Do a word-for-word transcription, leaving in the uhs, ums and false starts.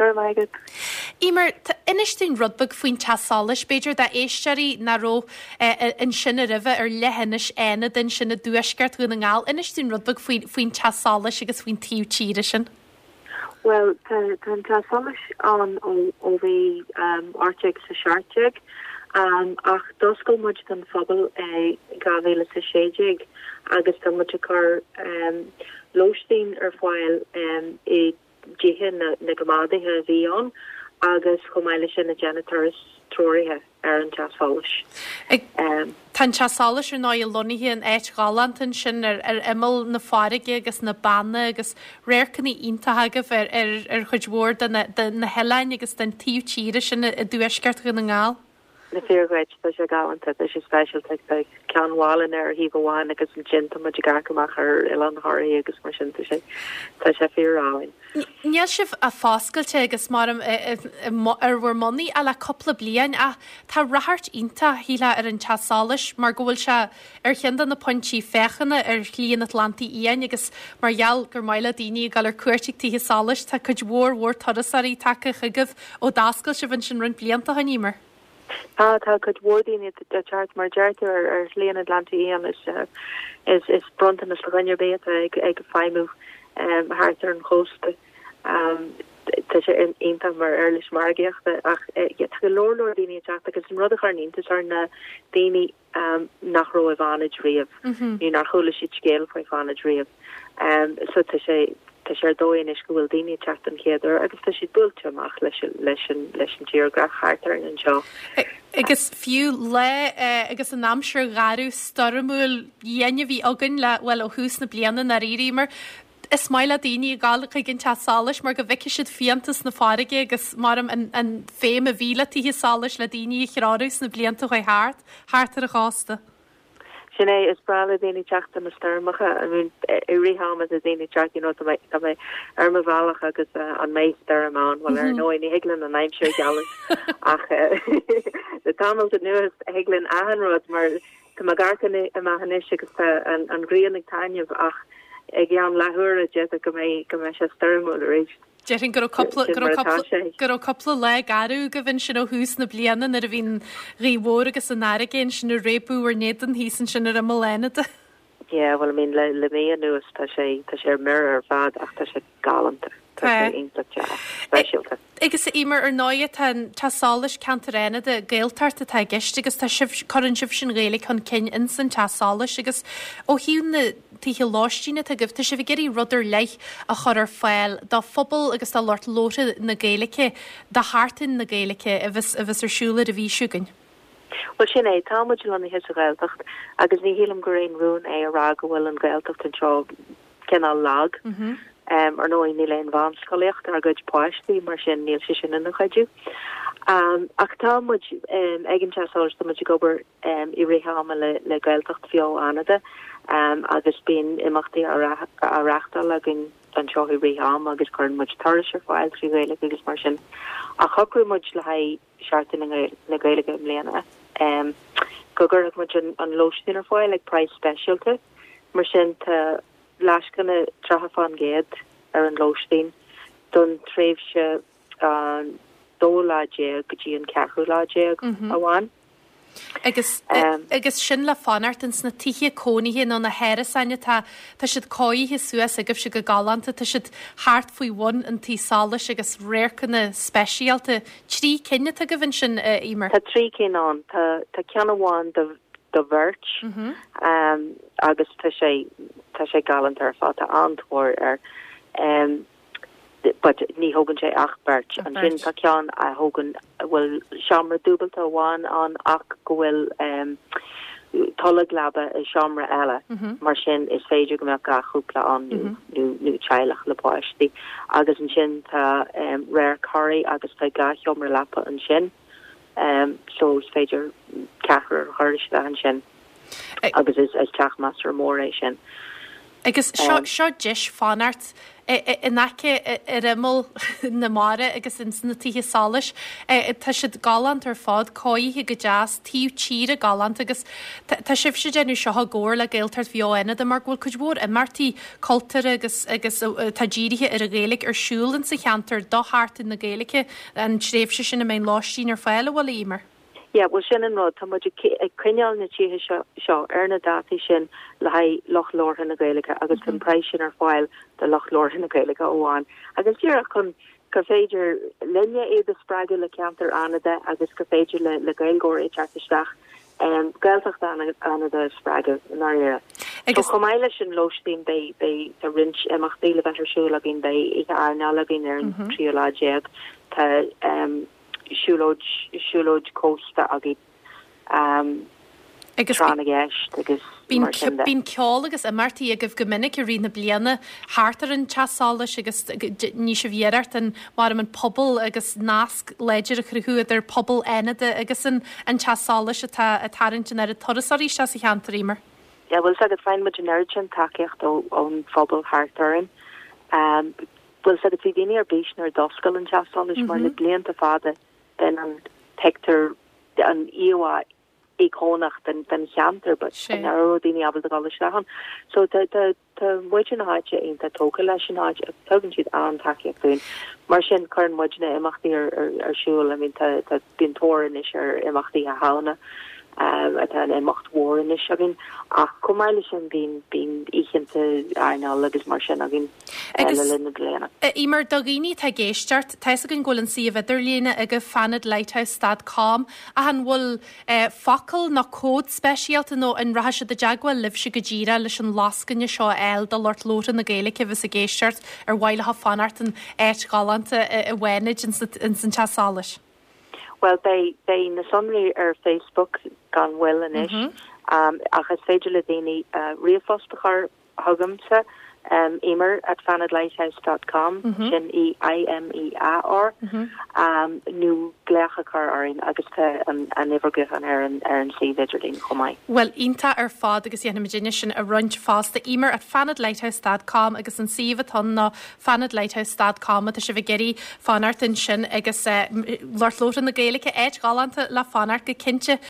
Go raibh maith agat. Emer, inis dúinn rud beag faoin teach solais, b'fhéidir d'éisteoirí nach raibh ansin roimhe ar leithinis Fhánada ansin i dtuaisceart Dhún na nGall. Inis dúinn rud beag faoin teach solais agus faoin taobh tíre sin. Well, tá an teach solais ann ó bhí ocht déag is a seacht déag, ach d'oscail muid don phobal é dhá mhíle is a sé déag agus tá muid ag cur lóistín ar fáil i dtithe na gcoimeádaithe a bhí ann agus chomh maith leis sin ag déanamh turas treoraithe ar an teach solais. Tá an teach solais ar ndóigh lonnaithe in áit ghalánta ansin ar ar imeall na farraige agus na banna agus radharcanna iontacha agaibh ar ar ar chuid mhór de na de na hoileáin agus den taobh tíre sin i dtuaisceart Dhún na nGall. Is fíor dhuit, tá sé galánta, tá sé speisialta, tá Ceann Mhálanna ar thaobh amháin agus ansin tá muid ag amharc amach ar Oileán Thoraí agus mar sin, tá sé tá sé fíor-álainn. Níl sibh foscailte agus mar ar bhur mbonnaí ach le cúpla bliain ach tá ráchairt iontach shílfeá ar an teach solais mar go bhfuil sé ar cheann de na pointí féachana ar Shlí an Atlantaigh Fhiáin agus mar gheall gur maith le daoine ag dul ar cuairt ag tithe solais tá cuid mhór mhór turasóirí tagtha chugaibh ó d'oscail sibh ansin roinnt blianta ó shin, Emer. Tá tá cuid mhór daoine ag teacht mar deir tú ar ar Shlí an Atlantaigh Fhiáin is is is bronntanas do dhuine ar bith atá ag ag feidhmiú thart ar an chósta. Tá sé iontach mar uirlis margaíochta ach tá go leor leor daoine ag teacht agus an rud a chuireann iontas orm ná daoine nach raibh i bhFánaid riamh nó nár chuala siad scéal faoi Fánaid riamh. So tá sé tá sé ar dóigh anois go bhfuil daoine ag teacht den chéad uair agus tá siad buailte amach leis leis an leis an tírdhreach thart orainn anseo. Agus fiú le agus an aimsir gharbh stoirmiúil dhian a bhí againn le bhuel ó thús na bliana nár éiríomar, is maith le daoine a ghabháil chuig an teach solais mar go bhfeicfidh siad fiántas na farraige agus mar an an féim a bhí le tithe solais le daoine a threorú sna blianta a chuaigh thart, thart ar an chósta. Sin é, is breá le daoine teacht do na stoirmeacha. I mean, i rith ama tá daoine ag teacht, you know, tá mé tá mé ar mo bhealach agus an mbeidh stoirm ann, bhuel ar ndóigh ní thig linn an aimsir a ghealladh ach le tamall anuas thig linn achan rud mar tá mé ag amharc amach anois agus tá an an ghrian ag taitneamh ach i gceann leathuaire d'fhéadfadh go mbeidh go mbeidh sé stoirmiúil arís. Déarfainn go raibh cúpla go raibh cúpla go raibh cúpla lá garbh agaibh ansin ó thús na bliana nuair a bhí an ghaoth mhór agus an fharraige ansin ag réabadh bhur n-éadan thíos ansin ar imeall Fhánada. Yeah, well I mean le le mí anuas tá sé tá sé ar mire ar fad ach tá sé galánta. Tá sé iontach deas, speisialta. Agus a Emer, ar ndóigh tá an Teach Solais Ceantar Fhánada Gaeltacht atá i gceist agus tá sibh cuireann sibh an Ghaeilge chun cinn ins an Teach Solais agus ó thaobh na tithe lóistín atá agaibh, tá sibh ag iarraidh rud ar leith a chur ar fáil do phobal agus do lucht labhartha na Gaeilge, do Sheachtain na Gaeilge a bheas a bheas ar siúl ar an mhí seo chugainn. Well sin é, tá muid lonnaithe sa Ghaeltacht agus ní shílim gur aon rún é a rá go bhfuil an Ghaeltacht anseo cineál lag. Um, ar ndóigh níl aon mheánscolaíocht ár gcuid páistí mar sin níl sé sin ina chuidiú. Um, ach tá muid um, ag an Teach Solais tá muid ag obair um, i rith ama le, le Gaeltacht Bheo Fhánada um, agus bíonn imeachtaí á reáchtáil againn anseo i rith ama agus cuireann muid turais ar fáil trí Ghaeilge agus mar sin. Ach shocraigh muid le haghaidh Seachtain na Gaeilge i mbliana um, go gcuirfeadh muid an, an lóistín ar fáil ag praghas speisialta mar sin tá lascaine tríocha faoin gcéad ar an lóistín don tréimhse an dóú lá déag go dtí an ceathrú lá déag amháin. Agus um, agus sin le fanacht ins na tithe cónaithe nó na hárasáin atá tá siad cóirithe suas agaibhse go galánta, tá siad thart faoi bhun an tí solais agus radharcanna speisialta. Trí cinn atá agaibh ansin Emer. Tá trí cinn ann tá tá ceann amháin do do bheirt mm -hmm. um, agus tá sé tá sé galánta ar fad tá an-tóir air um, but ní thógann sé ach beirt ansin tá ceann a thógann bhfuil seomra dúbailte amháin ann ach go bhfuil um, tolg leapa i seomra eile mm -hmm. mar sin is féidir go mbeadh dhá chúpla ann mm -hmm. nó nó teaghlach le páistí agus ansin tá um, radharc Thoraí agus tá dhá sheomra leapa ansin um, so is féidir ceathrar a chur isteach ansin agus is is teach measartha mór é sin. Agus seo seo deis fanacht in aice ar imeall na mara agus ins na tithe solais. Tá siad galánta ar fad, cóirithe go deas, taobh tíre galánta agus tá sibhse ag déanamh seo i gcomhar le Gaeltacht Bheo Fhánada mar go bhfuil cuid mhór imeachtaí cultúrtha agus agus atá dírithe ar an Ghaeilge ar siúl insa cheantar do Sheachtain na Gaeilge, an tréimhse sin a mbeidh lóistín ar fáil, an bhfuil, a Eimear? Yeah, bhuel sin an rud, tá muid ag coinneáil na tithe seo seo ar na dátaí sin le haghaidh lucht labhartha na Gaeilge agus tá an praghas sin ar fáil do lucht labhartha na Gaeilge amháin. Agus díreach chun gur féidir linne iad a spreagadh le ceantar Fhánada agus gur féidir le le Gaeilgeoirí teacht isteach um, Gaeltacht Fhánada a spreagadh i ndáiríre. Agus chomh maith leis an lóistín beidh beidh tá roinnt imeachtaí le bheith ar siúl againn beidh oíche airneáil againn ar an tríú lá déag tá um, siúlóid siúlóid cósta againn um, Agus tráth na gceist agus mar sin de. Bíonn ceol agus imeachtaí agaibh go minic i rith na bliana thart ar an teach solais agus ní sibh iarracht an mar an pobal agus nasc láidir a chruthú idir pobal Fhánada agus an an teach solais atá ag tarraingt an oiread turasóirí isteach sa cheantar Eimear. Ja, bhfuil agus faigheann muid an oiread sin tacaíocht ón phobal thart orainn. Um, bhfuil agus bhí daoine ar bís nuair a d'oscail an teach solais mar le blianta fada den an pictiúr an íomhá íocónach den den cheantar, but Sé. an raibh daoine ábalta dul isteach ann. So tá tá tá muintir na háite iontach tógtha leis an áit agus tugann siad an-tacaíocht dúinn. Mar sin cuireann muidne imeachtaí ar ar ar siúl, I mean tá tá bíonn tóir anois ar imeachtaí a hána um, atá an imeacht mhór anois againn ach chomh maith leis sin bíonn bíonn oícheanta airneáil agus mar sin againn eh, Agus- le linn na bliana. Eimear do dhaoine atá ag éisteacht, tá fhios againn go bhfuil an suíomh idirlíne ag fanadlighthouse dot com ach an bhfuil eh, focal nó cód speisialta nó an rachaidh siad i dteagmháil libhse go díreach leis an lascaine seo a fháil do lucht labhartha na Gaeilge a bheas ag éisteacht ar mhaith leo fanacht in áit ghalánta i bhFánaid ins an teach solais. Well beidh beidh na sonraí ar Facebook gan mhoill anois mm -hmm. um, ach is féidir le daoine uh, ríomhphost a chur chugamsa um, Eimear at fanadlighthouse dot com mm -hmm. sin E I M E A R mm -hmm. um, nó glaoch a chur orainn agus tá an an uimhir gutháin ar an ar an suíomh idirlín chomh maith. Well iontach ar fad agus dhéanfaimid sin a roinnt fosta Eimear at fanadlighthouse dot com agus an suíomh atá ná fanadlighthouse dot com tá sibh ag iarraidh fanacht ansin agus uh, lucht labhartha na Gaeilge áit ghalánta le fanacht go cinnte.